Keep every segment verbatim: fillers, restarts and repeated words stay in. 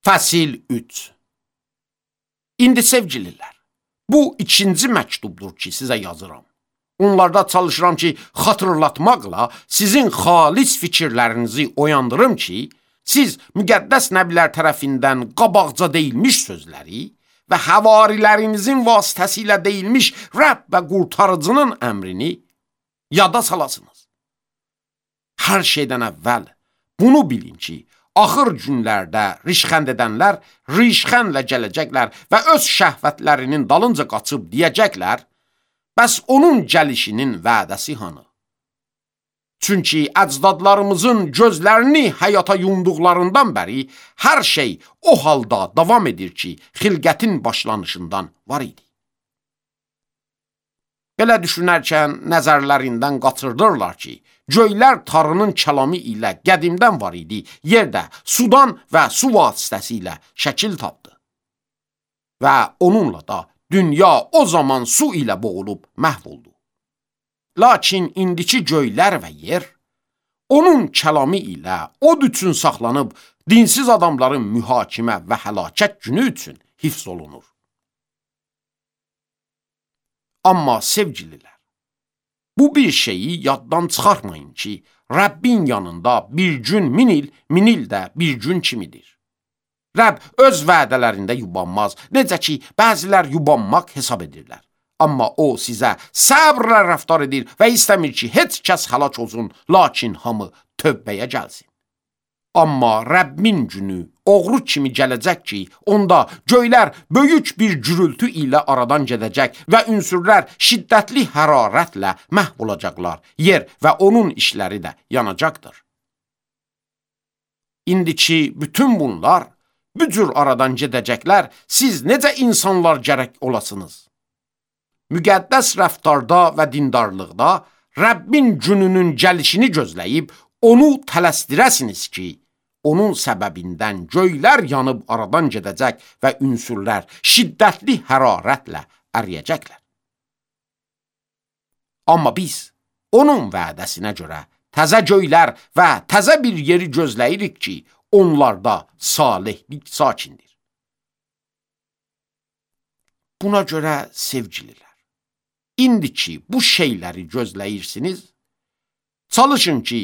Fəsil üç. İndi sevgililər, bu ikinci məktubdur ki, sizə yazıram. Onlarda çalışıram ki, xatırlatmaqla sizin xalis fikirlərinizi oyandırım ki, siz müqəddəs nəbilər tərəfindən qabaqca deyilmiş sözləri və həvarilərinizin vasitəsilə deyilmiş Rəbb və qurtarıcının əmrini yada salasınız. Hər şeydən əvvəl bunu bilin ki, axır günlərdə rişxənd edənlər rişxəndlə gələcəklər və öz şəhvətlərinin dalınca qaçıb deyəcəklər, bəs onun gəlişinin vədəsi hanı? Çünki əcdadlarımızın gözlərini həyata yumduqlarından bəri hər şey o halda davam edir ki, xilqətin başlanışından var idi. Belə düşünərkən nəzərlərindən qaçırdırlar ki, göylər Tanrının kəlamı ilə qədimdən var idi, yerdə sudan və su vasitəsilə şəkil tapdı. Və onunla da dünya o zaman su ilə boğulub məhv oldu. Lakin indiki göylər və yer, onun kəlamı ilə od üçün saxlanıb, dinsiz adamların mühakimə və həlakət günü üçün hifz olunur. Amma sevgililər, bu bir şeyi yaddan çıxarmayın ki, Rəbbin yanında bir gün min il, min il də bir gün kimidir. Rəbb öz vədələrində yubanmaz, necə ki, bəzilər yubanmaq hesab edirlər. Amma o sizə səbrlə rəftar edir və istəmir ki, heç kəs həlak olsun, lakin hamı tövbəyə gəlsin. Amma Rəbbin günü oğru kimi gələcək ki, onda göylər böyük bir gürültü ilə aradan gedəcək və ünsürlər şiddətli hərarətlə məhv olacaqlar. Yer və onun işləri də yanacaqdır. İndiki bütün bunlar, bu cür aradan gedəcəklər, siz necə insanlar gərək olasınız? Müqəddəs rəftarda və dindarlıqda Rəbbin gününün gəlişini gözləyib, onu tələsdirəsiniz ki, onun səbəbindən göylər yanıb aradan gedəcək və ünsürlər şiddətli hərarətlə əriyəcəklər. Amma biz onun vədəsinə görə təzə göylər və təzə bir yeri gözləyirik ki, onlarda salihlik sakindir. Buna görə sevgililər, indi ki bu şeyləri gözləyirsiniz, çalışın ki,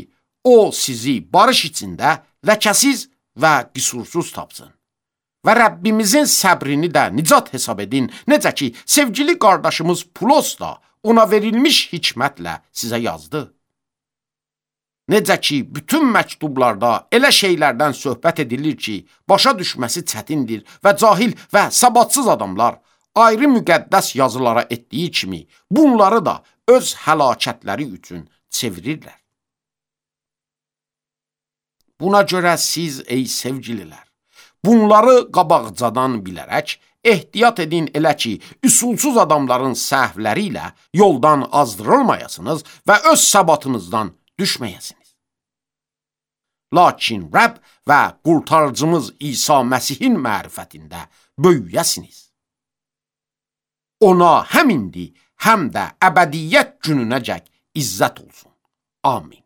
o sizi barış içində ləkəsiz və qüsursuz tapsın. Və Rəbbimizin səbrini də nicat hesab edin, necə ki, sevgili qardaşımız Pulos da ona verilmiş hikmətlə sizə yazdı. Necə ki, bütün məktublarda elə şeylərdən söhbət edilir ki, başa düşməsi çətindir və cahil və səbatsız adamlar ayrı müqəddəs yazılara etdiyi kimi bunları da öz həlakətləri üçün çevirirlər. Buna görə siz, ey sevgililər, bunları qabaqcadan bilərək ehtiyat edin elə ki, üsulsuz adamların səhvləri ilə yoldan azdırılmayasınız və öz səbatınızdan düşməyəsiniz. Lakin Rəbb və qurtarıcımız İsa Məsihin mərifətində böyüyəsiniz. Ona həm indi, həm də əbədiyyət gününəcək izzət olsun. Amin.